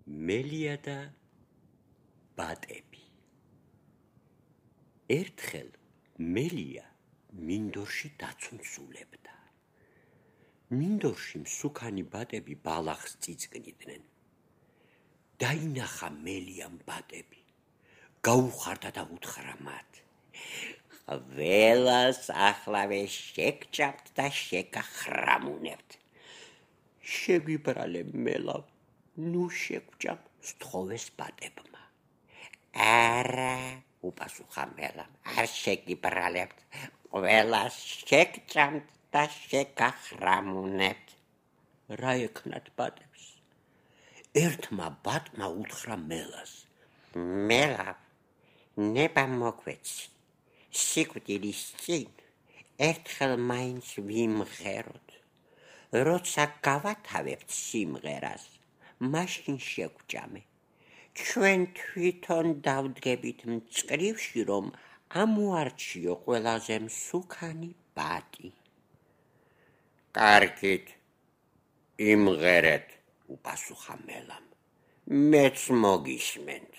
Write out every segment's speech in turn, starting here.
მელია და ბატები. ერთხელ მელია მინდორში დაცუნცულებდა. მინდორში მსუქანი ბატები ბალახს წიწკნიდნენ. დაინახა მელიამ ბატები. გაუხარდა და უთხრა მათ: ყველას ახლავე შეგჭამთ და შეგახრამუნებთ. შეგვიბრალე მელავ, ნუ შეგვჭამ, სთხოვეს ბატებმა. არა, უპასუხა მელამ, არ შეგიბრალებთ, ყველას შეგჭამთ და შეგახრამუნებთ. რა ეკნათ ბატებს? ერთმა ბატმა უთხრა მელას: მელავ, ნება მოგვეცი, სიკვდილის წინ ერთხელ მაინც ვიმღეროთ. როცა გავათავებთ სიმღერას, მაშინ შევჭამე. ჩვენ თვითონ დავდგებით მწკრივში, რომ ამოარჩიო ყველაზე მსუქანი ბატი. კარგით, იმღერეთ, უპასუხა მელამ, მეც მოგისმენთ.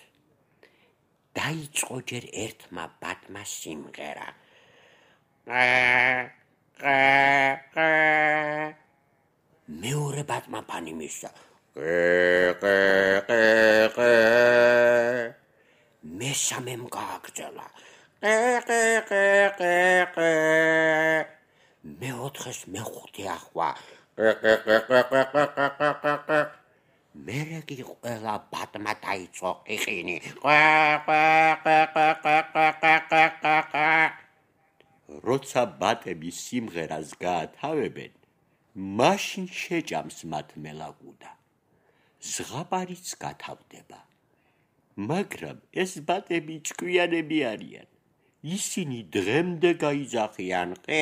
დაიწყო ჯერ ერთმა ბატმა სიმღერა. მეორე ბატმა პანი მისცა. მესამემ გააგრძელა. მეოთხეს მეხუთე ახვა. მერე კი ყველა ბატმა დაიწყო ყიყინი. როცა ბატები სიმღერას გაათავებენ, მაშინ შეჭამს მათ მელაგუდა. ზღაპარიც გათავდება. მაგრამ ეს ბატები ჭკვიანები არიან. ისინი დღემდე გაიძახიან ყე.